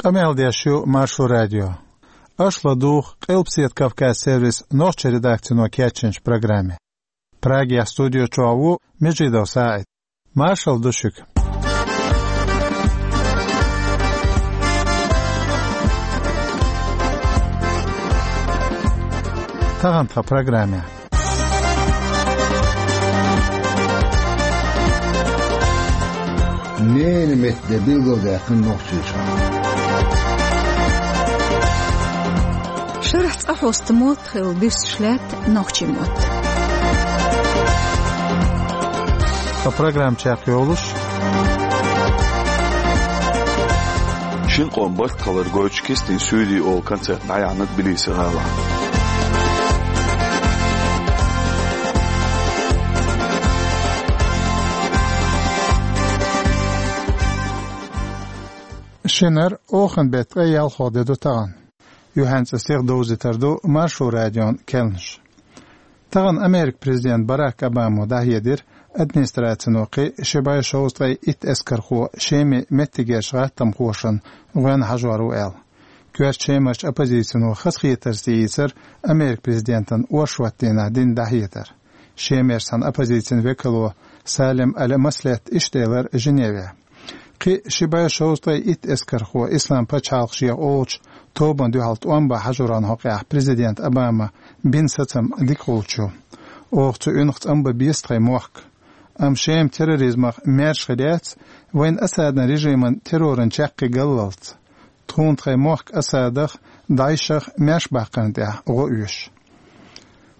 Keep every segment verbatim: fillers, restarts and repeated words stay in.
Къамел деш ю Маршо радио. Аша ладугӀу Къилбаседа Кавказ сервисан нохчийн редакцино кечйинчу программе. Прагехь студи чохь ву Межидов СаӀид. Маршалла ду шуьга. Тахана тхан программехь. Ненан меттан де билгалдаьккхина Нохчийчохь. Шарахь цкъа хьоста мотт хилла дуьсуш лаьтта нохчийн мотт. Тхан программа чекхйолуш: «Шина къоман барт хилар гойтуш кистина суьйре» олу концерт дӀаяьхьна Тбилиси гӀалахь. Шинара оханан беттан ткъе ялхолгӀа де ду тахана. Юьхьанца сиха довзийтур ду Маршо радион керланаш. Тахана Американ президента Барак Обамо дӀахьедира администрацино кхин ши бӀе шовзткъе итт эскархо Шеман меттигерчу гӀаттамхошна гӀоьнна хьажор ву аьлла. Коьрта Шемарчу оппозицино хазахетарца йийцира Американ президентана оршотан дийнахь дина дӀахьедар. Шемарчу цхьана оппозицин векало Салим Аль-Маслехьта иштта элира Женевехь: «Кхин ши бӀе шовзткъе итт эскархо Исламан пачхьалкх шех олучу тобанна дуьхьал тӀом бан хьажоран хьокъехь президент Обама бина сацам дика хуьлуш ю. Оха цу уьнах цӀанбан беза тхайн мохк. Амма Шема терроризмах маьрша хир яц, вайна Асадан режиман терроран чаккхе галлалц. Тхуна тхайн мохк Асадах, ДАИШах маьрша баккхарна тӀехь гӀо оьшу».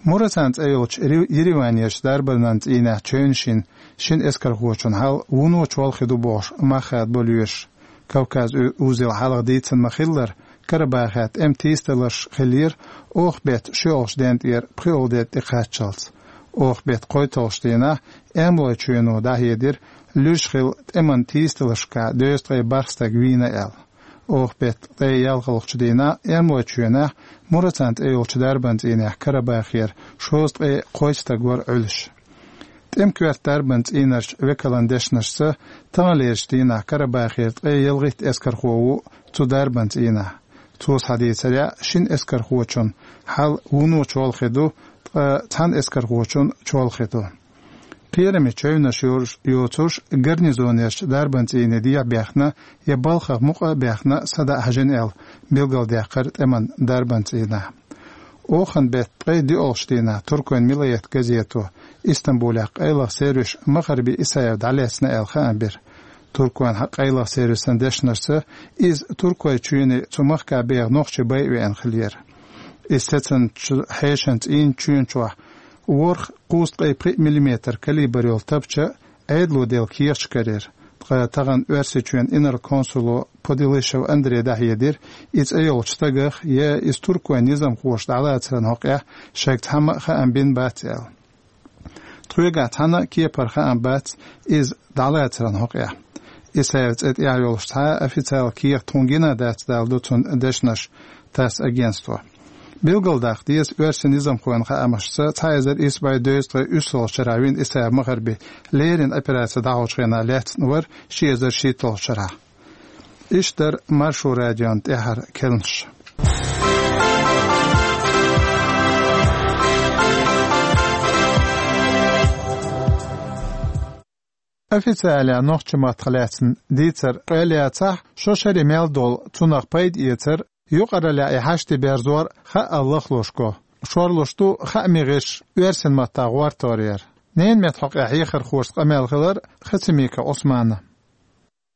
Мура цхьана цӀе йолчу Ри-, Ереванерчу дарбанан цӀийнехь чевнаш йина шина эскархочун хьал вуно чолхе ду бохуш мах хадабо лоьраш. Кавказ у-, узел хьалха дийцина ма-хиллара, Карабахехь тӀеман тийсадаларш хиллера оха беттан шолгӀачу ден тӀера пхоьалгӀа де тӀекхаччалц. Оха беттан кхойтталгӀачу дийнахь Эрмалойн чоьно дӀахьедира, луьраш хилла тӀеман тийсадаларшкахь дезткъе бархӀ стаг вийна аьлла. Оха беттан ткъе ялхалгӀачу дийнахь Эрмалойн чоьнехь Мура цхьана цӀе йолчу дарбанан цӀийнехь Карабахера шовзткъе кхойтта стаг вара Ӏуьллуш. ТӀеман коьрта дарбанан цӀийнарчу векалан дешнашца, таханлерчу дийнахь Карабахера ткъе ялхитта эскархо ву цу дарбанан цӀийнахь. Цо схьадийцарехь, шина эскархочун хьал вуно чолхе ду, ткъа цхьана эскархочун чолхе ду. Кхераме чевнаш йоцуш, гарнизонерчу дарбанан цӀийне дехьа бехна я балхах мукъа а бехна садаӀа хьажийна аьлла, билгалдаьккхира тӀеман дарбанан цӀийнахь. Оханан беттан ткъе диъолгӀачу дийнахь туркойн Миллиет газето Истамбулехь къайлаха сервисан Махарби Исаев дӀалаьцна аьлла хаам бира. Туркойн къайлаха сервисан дешнашца, иза Туркойн чоьне цу махкахь беха нохчий байа веана хиллера. Иза сецначу хьешан цӀийнан чоьн чохь ворхӀ кхузткъе пхиъ миллиметр калибр йолу тапча Ӏедало делла кехаташ карийра. Ткъа тахана Оьрсийчоьнан инарла консуло Подилышев Андрей дӀахьедира, и цӀе йолчу стагах я иза туркойн низамхоша дӀалацаран хьокъехь шайга цхьамма а хаам бина бац аьлла. Тхоьгахь цхьанна а кепара хаам бац иза дӀалацаран хьокъехь. Исаевн цӀе тӀехь йолуш цхьа а официалан кехат тхуна гина дац, далла ду цуьнан дешнаш ТАСС агентство. Билгалдаккха деза, оьрсийн низамхойн хаамашца, цхьа эзар исс бӀе дезткъе уьссалгӀачу шарахь вина Исаев Махарби леррина операци дӀахьочу хенахь лаьцна вара ши эзар шийтталгӀачу шарахь. Иштта дара Маршо радион тӀаьхьара керланаш. Официалехь нохчийн маттах лаьцна дийцар къайлаяцахь, шо шаре мел долу цунах пайда эцар, юкъараллехь и хьашт берзор хаъал лахлуш го. Шорлуш ду хаамийн гӀирсаш оьрсийн маттахь гӀортор яр. Ненан меттан хьокъехь хьехархошца къамел хилира Хацамиков Ӏусманан.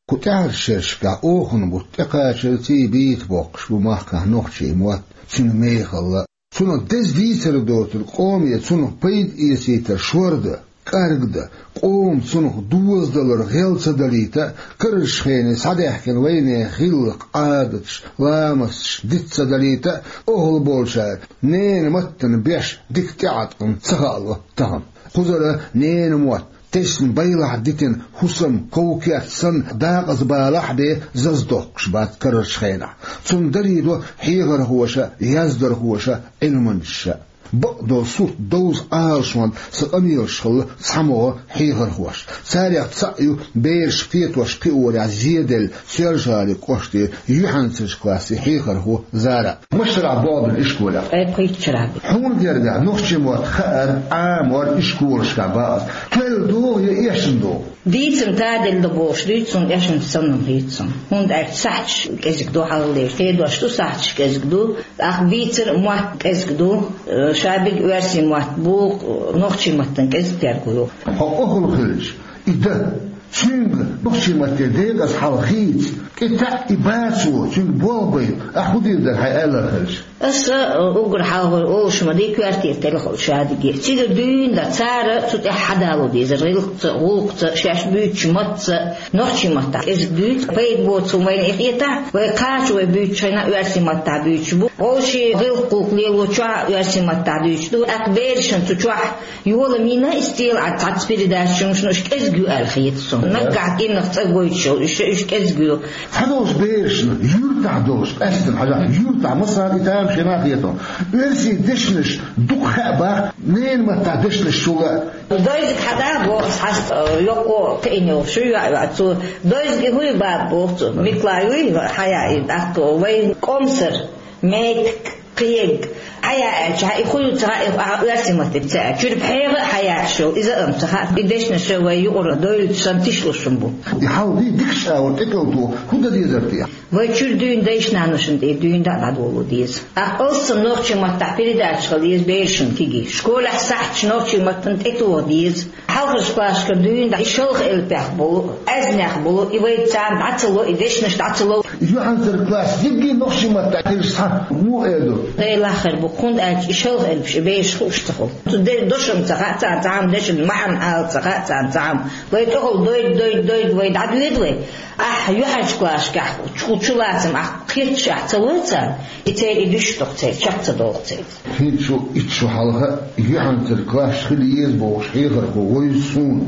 Кху тӀаьхьарчу шерашкахь оханан бутт тӀекхачарций, бийца боккхуш бу махкахь нохчийн мотт, цуьнан мехалла. Цунах деза дийцар доцург къоме цунах пайда эцийтар шордан, кӀаргдан, къоман цунах дозадалар гӀел ца далийта, карарчу хенахь схьадаьхкина вайнехан гӀиллакх, Ӏадаташ, ламасташ диц ца далийта, охьалуш болчара ненан маттана беш дика тӀеӀаткъам ца хаало тахана. Кхузара ненан мотт тесна байлахь дитина хӀусам, ков-керт санна, дакъаза балахь а бен, зазадоккхуш бац карарчу хенахь. Цунна далийдо хьехархоша, яздархоша, Ӏилманчаша. Бакъдолу сурт довза Ӏалашонца къамелаш хилла цхьамогӀа хьехархошна. Царех цхьаъ ю бераш кхетош-кхиорехь зеделла Соьлжа-ГӀалин кӀоштара юьхьанцарчу классан хьехархо Зара. Машарахь бохург ду ишколехь? Ткъе пхийтта шарахь бу. Хьуна гергахь нохчийн мотт хаар, Ӏамор ишколашкахь бакъ ду. Тоьлла догӀу я эшна догӀу? Дийцина таделла ду бохуш дуьйцу суна, эшна санна хетта суна. ХӀунда аьлча сахьташ кӀезиг ду хьалха лерчу. Кхедош ду сахьташ кӀезиг ду, тӀаккха бийцар а мотт кӀезиг ду. Э, ша берг оьрсийн мотт бу, нохчийн маттана кӀезиг терго ю. Хьо къахьула хилча, и дан, цуьнга нохчийн матте декъаза хьал хийца, кӀе таьӀ и бацо, цуьнга болх бай, ахь хӀун дийр дара хьайн аьлларг хилча? Аса, э, уггар хьалхара олуш ма ду, коьртера телхина шадерг. Цигара дуьйна дан цара цу тӀехь хьадало дезара, гӀиллакхца, гӀуллакхца, шаьш буьйцучу матца, нохчийн маттахь кӀезиг дуьйцу, пайда боцу хӀума вайна и хетахь, вай кхача вай буьйцучу хенахь оьрсийн маттахь буьйцуш бу. Вовшийн гӀиллакх-гӀуллакх лелочохь оьрсийн маттахь дуьйцуш ду, тӀаккха берашна цу чохь йола мина и стел а цхьацца передача чу, уьш кӀезиг ю аьлла хета суна. Наггахь кӀирнах цӀа гойтуш йолу, уьш, уьш кӀезиг ю. Цхьадолчу берашна юьртахь долуш, къаьстина хьажахь, юьртахь, масала, и тамашийна хетахь, оьрсийн дешнаш дукха хаьа боху, ненан маттахь дешнаш чул а. Дойзиг хьада боху, хьаста, э, йоккхо кхиъна йолу шу йоӀ йоӀ цо. Дойзиге хӀун ю баба боху цо. Микла юй хьаяа и дӀаккха вайн комсар, метик, кхег. Хьаяа аьлча, и хӀун ю ца хаьа, и ахьа оьрсийн маттахь ца аьлча. Чуьра пхьегӀа а хьаяьш йолу, иза а ца хаьа. И дешнаш вай юкъара дойлучу санна тишлуш хӀума бу. И хьал ди дикачу агӀор тӀекӀалто хӀун дан дезара те? Вай чуьра дуьйна дайша-наношна тӀе дуьйна дӀа а дӀадоло деза. Ахь алссам нохчийн маттахь передача хила еза берашна кегий. Школехь сахьташ нохчийн маттана тӀетоха деза. Хьалхарчу классашкара дуьйна дӀа и шалха элпех болу, аьзнех болу, и вай царна дӀа ца ло, и дешнаш дӀа ца ло. Юьхьанцара класс дигги нохчийн маттахь хилча схьа муха эр ду? Делахь хир бу, хӀунда аьлча и шалха элпаш и бераш хууш ца хуьлу. Цу де-, дошам ца хаьа царна цхьамма, дешан маьӀна ала ца хаьа царна цхьамма. Вай тӀехула дойду, дойду, дойду, вай дӀадоьду вай. Ахь юьхьанчу классашкахь чу-, чулацам ахь кхеташ ахь ца лой царна, и церан и дуьш доху церан, чекх ца доху церан. ХӀинца шу, итт шу хьалха юьхьанцара классаш хила еза бохуш хьехархо вевза суна.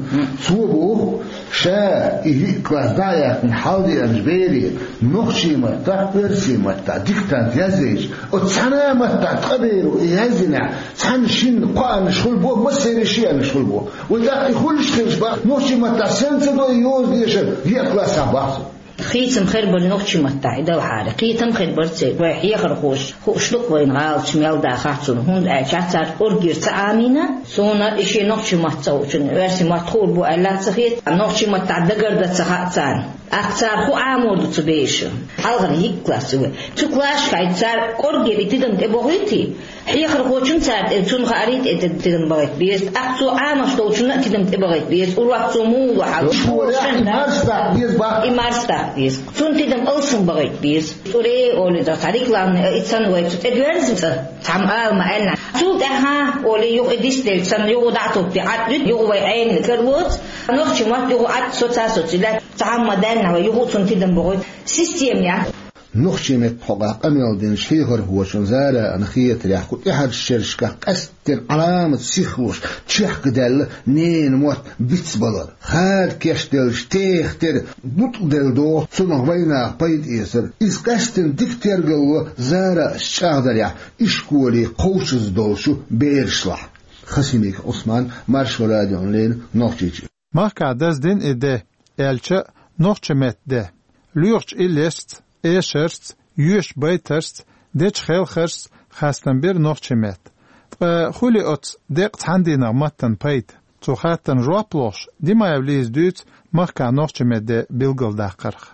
Цо боху, ша и йиъ класс дӀа а яьккхина хьалдеанчу бере нохчийн маттахь, оьрсийн маттахь диктант язйича, оцу цхьана а маттахь ткъа беро и язйинехь, цхьанна-шинна кхоанаш хуьлу боху, массеран шиъ аьннаш хуьлу боху. Вай тӀаккха и хуьлуш хилча боху, нохчийн маттахь санна ца до и йоза дешар, йиъ классехь боху цо. Хийцам хир бара нохчийн маттахь и далахьара. Кхетам хир бара церан. Вай хьехархоша хууш ду-кх вайна гӀалаташ мел дахахь цунна, хӀунда аьлча цара кӀоргера ца Ӏамийна. Суна и шен нохчийн мотт ца хуучунна оьрсийн мотт хуур бу аьлла ца хета, нохчийн маттахь дагардан ца хаьа царна. ТӀаккха цара хӀун Ӏамор ду цу бераша? Хьалхара йиъ класс ю вай. Цу классашкахь цара кӀоргера и тидам тӀебохуьйтий? Хьехархочун цара тӀе, цунна хаарий тӀе тидам бахийта беза. ТӀаккха цо Ӏамош долчунна а тидам тӀебахийта беза. Урок цо муха ло хьал? Школехь и марсадаккха деза боху. И марсадаккха деза. Цунна тидам алсам бахийта беза. ЦӀуре олий, цхьа рекламный, и цхьана вай цу тӀе доьрзина цӀа, цхьамма ала ма аьллинехь. Цул тӀаьхьа олий, юха и дисделча санна, юха дӀа а топпий, Ӏад дуьту, юха вай Ӏенна каралоцу. Нохчийн мотт юха Ӏад соца-соций лаьтта, цхьамма даьллинехь вай юха цунна тидам бохуьйту. Система яц. Нохчийн меттан хьокъехь къамел динчу хьехархочун Заран хетарехь, кху тӀаьхьарчу шерашкахь къаьсттина Ӏаламат сихлуш чехка даьлла ненан мотт бицбалар. Хада кечделча теха тера бутӀа делла догӀу цунах вайнаха пайда эцар. Иза къаьсттина дика тергало Зарас чӀагӀдарехь, ишколе кхочуш долчу берашлахь. Хасимиков Ӏусман, Маршо радиона леррина, Нохчийчоь. Махкахь даздина и де, аьлча а нохчийн меттан де. Лоьхучу иллешца, эшарца, йоьшучу байташца, дечу хелхаршца хастам бира нохчийн меттан. Ткъа хуьлий оцу декъа цхьана дийнахь маттана пайда? Цу хаттарна жоп лохуш, Димаева Лиза дуьйцу махкахь нохчийн меттан де билгалдаккхарх.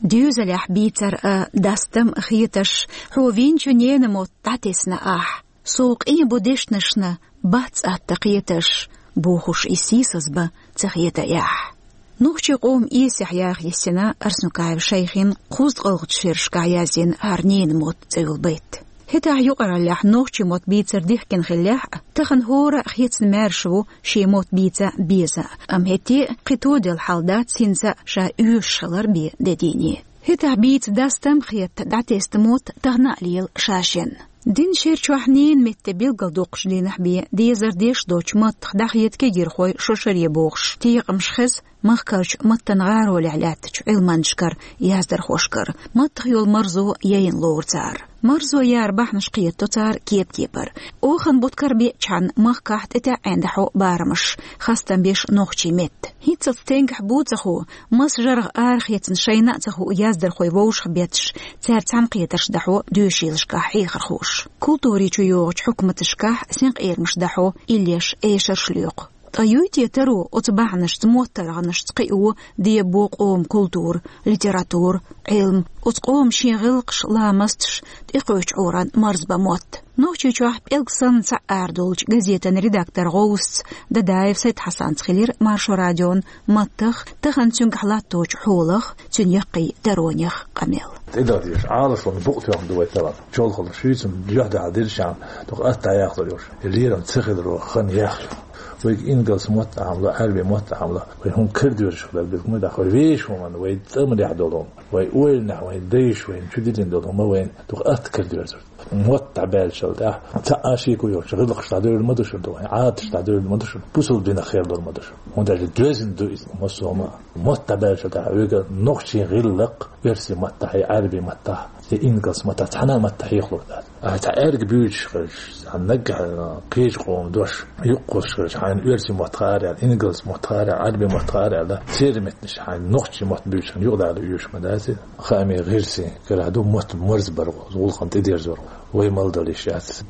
Доьзалехь бийцар а, дастам а хеташ, хьо винчу ненан мотт дӀатесна ахь. Сов къен бу дешнашна, бац атта кхеташ, бохуш и сийсаз бан ца хета ахь. Нохчийн къоман эсехь яха йисина Арсанукаев Шайхин кхузткъалгӀачу шерашкахь язйина хӀара ненан мотт цӀе йолу байт. ХӀетахь юкъараллехь нохчийн мотт бийцар дихкина хиллехь а, тахана хӀора а хецна маьрша ву шен мотт бийца беза, амма хӀетте а кхин тоделла хьал дац хӀинца ша оьшуш хилар бен де дийне. ХӀетахь бийца дастам а хетта дӀатесна мотт тахана а лела ша-шен. Динан шер чохь ненан меттан де билгалдоккхуш дийнахь бен дезар деш доцчу маттах дӀахеда кегийрхой шо шаре бохуш, текъамаш хеза, Махкарчу маттан гӀаролехь лаьттачу Ӏилманчашкара, яздархошкара маттах йолу марзо яйна лору цара. Марзо яра бахьанаш кхетадо цара кеп-кепара. Оханан бутт кара беъчхьана махкахь тӀетаьӀӀина дӀахьо барамаш, хастам беш нохчийн метта. ХӀинццалц стенгахь бу ца хо, маса жаргӀа арахецна шайна а ца хуу яздархой вовшах бетташ, цаьрца цхьаьнакхетарш дӀахьо доьшийлашкахь хьехархоша. Культури чу йогӀучу хьукматашкахь синкъерамаш дӀахьо, иллеш эшарш лоькху. Ткъа юй те таро оцу бахьанашца моттаргӀанашца кхио, дебо къоман культура, литература, Ӏилма, оцу къоман шен гӀиллакхаш, ламасташ, тӀекхочу Ӏуьйранна марзбан мотт? Нохчийчохь пӀелг санна цхьаъ арадолучу газетан редактор гӀовсаца Дадаев Сайд-Хьасанца хилира Маршо радион маттах, тахана цуьнгахь латточу хьолах, цуьнан яккхий таронех къамел. ТӀедала дезаш Ӏалашонан букъ тоьхна ду вай талам. Чолхалла шуьйцам жоьхьа дӀахьа диршан, дукха атта дӀаяхлур йолуш. Лерам ца хиларо хан яхлу. Вайга ингалс мотт а хьамла, Ӏаьрби мотт а хьамла, вай хӀума карадоьрзуш хилар билгму даха, вай вешан хӀуманна, вай цӀа ма дехь долу хӀума, вай ойланехь, вайн дайша вайна чу диллина долу хӀума вайна дукха атта карадоьрзур. Мотт дӀабаьллачул тӀаьхьа, цхьа а шеко йоцуш, гӀиллакхаш дӀадевлла ма ду шуна, вайн Ӏадаташ дӀадевлла ма ду шуна, бусалба динах хир долу ма ду шуна. ХӀунда аьлча доьзна ду иза массо а ма. Мотт дӀабаьллачул тӀаьхьа, вайга нохчийн гӀиллакх, оьрсийн маттахь, Ӏаьрби маттахь, я ингалс маттахь, цхьана а маттахь хьехалур дац. Ахьа цхьа аьрга буьйцуш хилча, цхьа наггахь кхечу къоман дош юккъе хилча, хьайна оьрсийн мотт хаар аьлла, ингалс мотт хаар аьлла, Ӏаьрби мотт хаар аьлла, церан меттанаш хьайна нохчийн мотт буьйцуш хилча юкъадала оьшуш ма дац иза. Хаамийн гӀирсийн карахь ду мотт марзбар, гӀуллакхана тӀедерзор, вай мел дала йиш яц.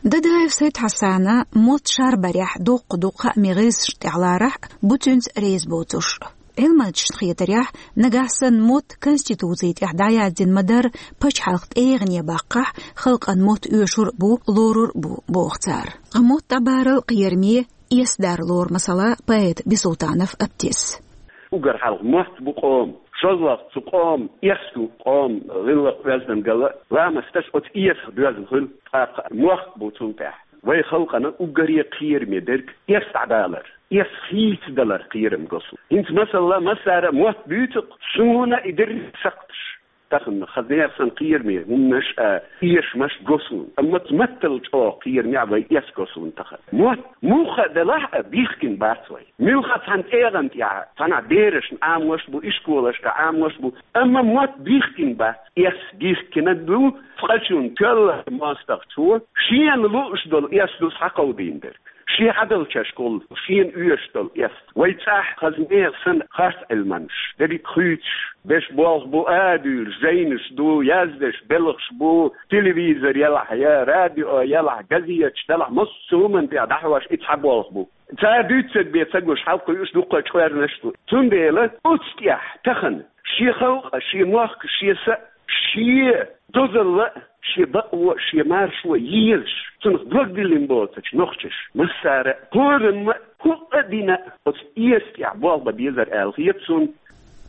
Дадаев Сайд-Хьасана мотт шарбарехь доккха ду хаамийн гӀирсашна тӀехь ларахь а, бу цуьнца реза боцуш. Ӏилманчашна хетарехь, нагахь санна мотт Конституци тӀехь дӀаяздина ма-дарра, пачхьалкхан тӀегӀане баккхахь, халкъан мотт оьшур а бу, лорур а бу, боху цара. Ткъа мотт дӀабарал кхераме, эс дар лору, масала, поэт Бисултанов Аптис. Уггар хьалха мотт бу къоман, шозлагӀа цу къоман эс ду, къоман гӀиллакх, оьздангалла, ламасташ оцу эсах доьзна хуьлу, тӀаккха мохк бу цул тӀаьхьа. Вай халкъана уггаре кхераме дерг эс дӀадалар, эс хийцадалар кхерам го суна. ХӀинца, масала, массара а мотт буьйцу-кх, суна и дерриг сакхташ. Тахана хаза нехан санна кхераме хӀуманаш а, эшамаш го суна. Амма цу маттал чӀогӀа кхераме а вай эс го суна тахана. Мотт муха а делахь а, бихкина бац вай. Муьлхха цхьана тӀегӀан тӀехь, цхьанхьа берашна Ӏамош бу, ишколашка Ӏамош бу, амма мотт бихкина бац. Эс бихкина ду, цкъачунна, коьллачу мостагӀчо шена лууш долу эс ду схьакховдийна дерг. Шен хьадалчаш гӀуллакх, шена оьшуш долу эс. Вай цӀахь хаза нехан санна харц Ӏилманчаш, дерриг а хуьйцуш, берш болх бу а дуьйлуш, жайнаш ду, яздеш белхаш бу, телевизор елахь я, радио елахь, газеташ делахь, массо а хӀуманна тӀехь дӀахьош и цхьа болх бу. Цара дуьйцург бен ца гуш, хьалакхуьуш дуккха а чкъоьрнаш ду. Цундела оцу тӀехь тахана шен халкъ а, шен мохк а, шен са а, шен дозалла а, шен бакъо а, шен маршо а езаш, цунах дог диллина боцучу нохчаша массара а, кхорамма а, хӀуъа а дина а, оцу эс тӀехь болх бан безар аьлла хета суна.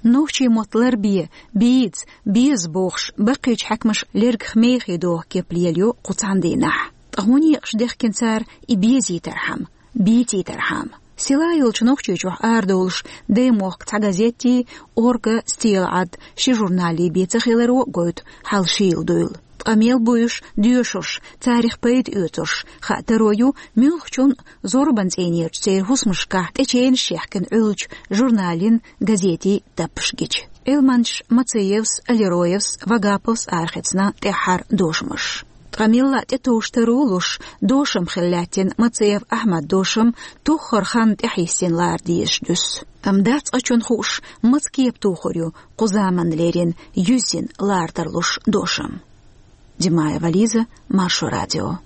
Нохчийн мотт ларбе, бийца, беза бохуш, баккхийчу хьаькамаша лергах мехий доху кеп лелайо кху цхьана дийнахь. Ткъа хӀун некъаш дехкина цара и безийтархьама, бийцийтархьама? Села йолчу Нохчийчохь арадолуш Даймохк цхьа газетий, Орга, Стелаӏад, ши журналий бен ца хиларо а гойту хьал шийла дуйла. Ткъа мел буьйш, доьшурш, царах пайда оьцурш хаа таро ю муьлххачунна, зорбан цӀийнерчу церан хӀусамашкахь тӀеченаш яьхкина Ӏуьллучу журналийн, газетийн таппаш гича. Ӏилманчаша Мациевс, Алироевс, Вагаповс арахецна тӀаьххьара дошамаш. Ткъа милла а тӀетовжаш таро луш, дошам хилла лаьттина Мациев Ахьмадан дошам тоххара ханна тӀаьхьайисина лара дезаш дуьсу. Амма дац цкъачунна хууш, маца кепа тухур ю кху заманна лерина юьззина лара тарлуш дошам. Димаева Лиза, Маршо радио.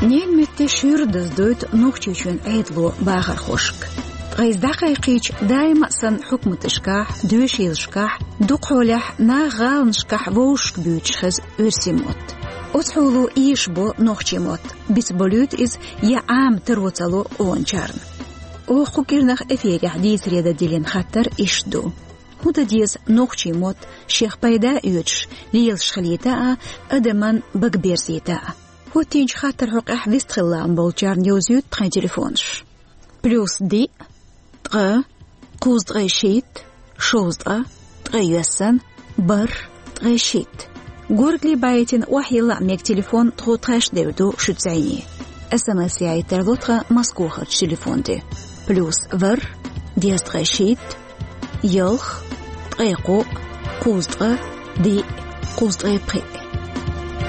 Ненан метте шуьйра даздойту Нохчийчоьнан Ӏедало бахархошка. Ткъа иза дӀакхайкхийча, даима а санна хьукматашкахь, доьшийлашкахь, дукхахьолехь наха гӀаланашкахь вовшашка буьйцуш хеза оьрсийн мотт. Оцу хьоло эшабо нохчийн мотт, бицболуьйту иза я Ӏама таро ца ло къоначарна. Оха кху кӀирнах эфирехь дийцаре дан диллина хаттар иштта ду: хӀун дан деза нохчийн мотт шех пайда а оьцуш, лелаш хилийта а, адаман бага берзийта а? ХӀоттийначу хаттаран хьокъехь вистхила лаам болчарна йовзуьйту тхайн телефонаш. Плюс диъ, ткъа, кхузткъе шийтта, шовзткъа, ткъе йоьссан, бархӀ, ткъе шийтта. Горгали байтина охьайилла а мега телефон тхо тхаьш девр ду шуьца зӀене. СМС яйта тарло тхан Москвахарчу телефон тӀе. Плюс ворхӀ, дезткъе шийтта, ялх, ткъе кхоъ, кхузткъа, диъ, кхузткъе пхиъ.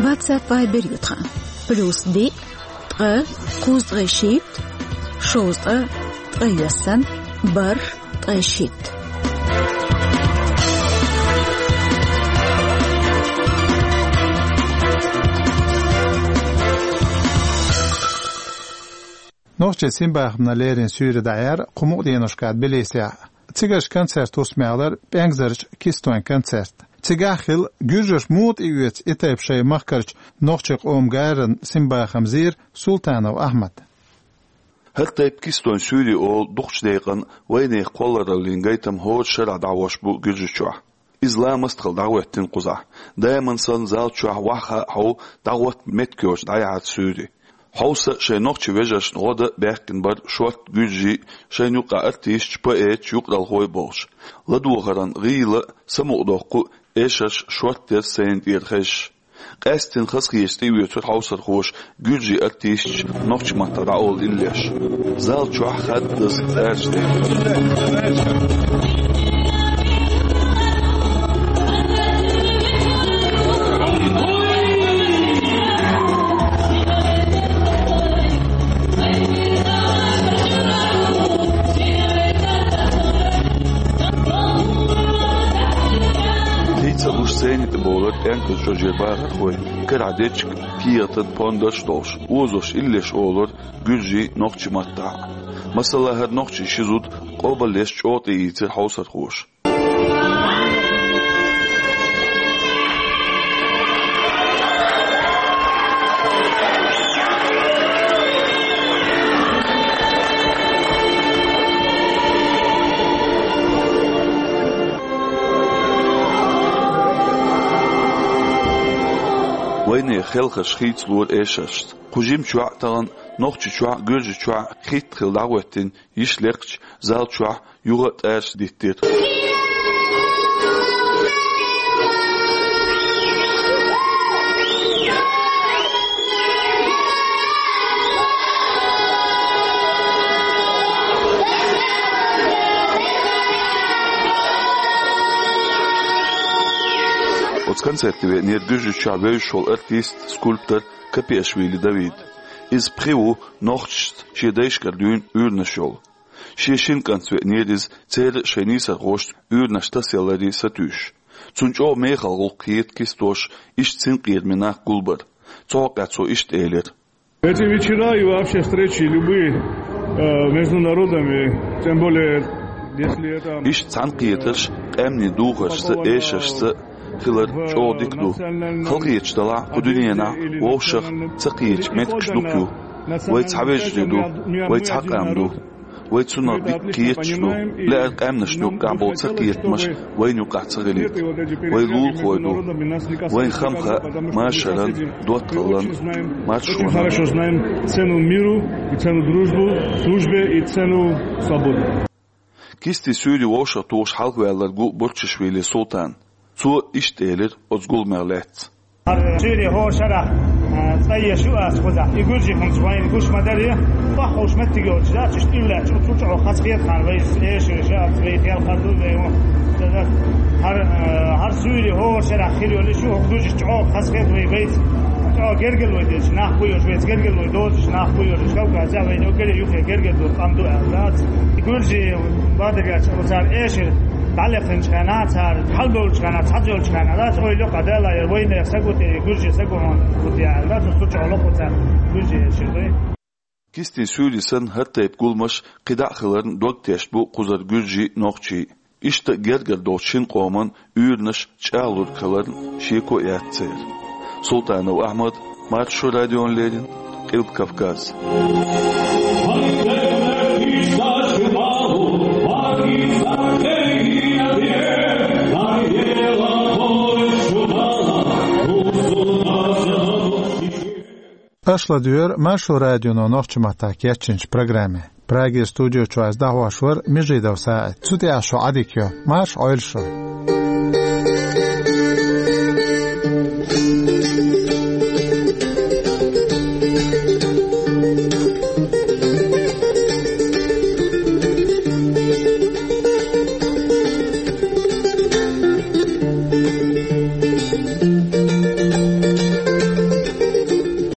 WhatsApp, Viber ю тхан. Плюс диъ, ткъа, кхузткъе шийтта, шовзткъа, ткъе йоьссан, бархӀ, ткъе шийтта. Нохчийн синбахамна леррина суьйре дӀаяьлла кху мукъа деношкахь Тбилисехь. Цигарчу концертан хӀусамехь лар пӀенгазарчу Кистойн концерт. Цигахь хилла гуьржаша муха тӀеоьцу и тайпа шайн махкарчу нохчийн къоман гаранна синбахам зийра Султанов Ахьмада. ХӀара тайпа Кистойн суьйре олу дукхачу декъана вайнехан кхоллараллин гайтам хӀора шарахь дӀахьош бу Гуьржийчохь. Иза ламаст хилла дӀахӀоьттина кхузахь. Даиман санна зал чохь ваха а хьов дӀахӀотта меттигерчу дӀаяхьарца суьйре. Хьовса а шайн нохчийн вежаршна гӀо дан а баьхкина бара шортта гуьржий, шайна юкъахь артисташ, поэташ, юкъаралхой а болуш. ЛадогӀаран гӀийла а, самукъадоккху а эшарш шортта яра сцена тӀера хезаш. Къаьсттина хазахеташ тӀеоьцура хьовсархоша гуьржийн артисташ нохчийн маттахь дӀаолу иллеш. Зал чохь хаддаза цӀараш дехира. Хийца а луш сцени тӀе бовлар пӀенказ чӀожера бахархой, карахь дечиг, кехатан пондарш а долуш, озош иллеш олура гуьржий нохчийн маттахь. Масала, хӀара нохчийн ши зуда къобалъеш чӀогӀа тӀеийцира хьовсархоша. Вайнехан хелхарш хийцалора эшаршца. Кху жимачохь а тахана Нохчийчохь а, Гуьржийчохь а хӀитта хилла дӀахӀоьттина йиш лекхачу зал чохь юха а цӀараш диттира. Оцу концерте веанера Гуьржийчохь вевзаш волу артист, скульптор Капиашвили Давид. Иза пхи ву нохчашца шен дайшкара дуьйна уьйранаш йолу. Шен шина кӀантаца веанера иза, церан а, шайн нийсархошца уьйранаш тасаяларе сатуьйсуш. Цунна чӀогӀа мехала гӀуллакх хета Кистоша иштта синкъерамийн нах гулбар. Цу хьокъехь цо иштта элира: Эти вечера и вообще встречи любые, э, между народами, тем более, если это... Иштта цхьаьнакхетарш къаьмнийн духаршца, эшаршца хилар чӀогӀа дика ду. Халахеташ делахь, кху дуьненахь вовшах ца кхеташ меттигаш дукха ю. Вай цхьа вежарий ду, вай цхьа къам ду. Вай цунах дика кхеташ ду. Лаьара къаьмнашна юккъехь болу цакхетамаш вайна юккъехь ца хилийта. Вай лулахой ду. Вайн хам хаьа машаран, доттагӀаллан, маршонан. Очень хорошо знаем цену миру и цену дружбу, дружбе и цену свободы. Кистин суьйре вовшахтухуш хьалхаваьлларг ву Бурчишвили Султан. Цо иштта элира оцу гуламех лаьцна. ХӀара суьйре хӀора шарахь, а, цӀа еш ю ас кхузахь. И гуьржий хӀуманаш вайна гуш ма дарий, баххуш меттиг йолчу дац, иштта уьллаьчу, цу чӀогӀа хазахета хьан вай эшарш а, вай хелхар ду, вай хӀун. ХӀара, а, хӀара суьйре хӀора шарахь хир йолуш ю, хӀокху гуьржаш чӀогӀа хазахета вай, вайца. ЧӀогӀа гергарлой дезаш нах бу йош, вайца гергарлой доцуш нах бу йош, Кавказехь вайна уггаре юххе гергарло къам ду аьлла дац. И гуьржий бадаргаш оцара эшар дӀалекхинчу хенахь, цара хьалабевллачу хенахь, цхьаъ йолчу хенахь, дац, ойла йоккха дела, я вайнех сагу те, гуьржий сагу хьуна бу те аьлла дац, цу чохь локху цара гуьржий эшар дуй. Кистин суьйре санна, хӀара тайпа гуламаш кхидӀа а хиларна дог тешна бу кхузара гуьржий, нохчий. Иштта гергара долчу шина къоман уьйранаш чӀагӀлург хиларна шеко а яц церан. Султанов Ахьмад, Маршо радиона леррина, Къилба Кавказ. Аша ладоьгӀира Маршо радионо нохчийн маттахь кечйинчу программе. Прагера студио чуьра дӀахьош вара Межидов СаӀид. Цу тӀехь шун Ӏадика йо. Марша Ӏойла шу.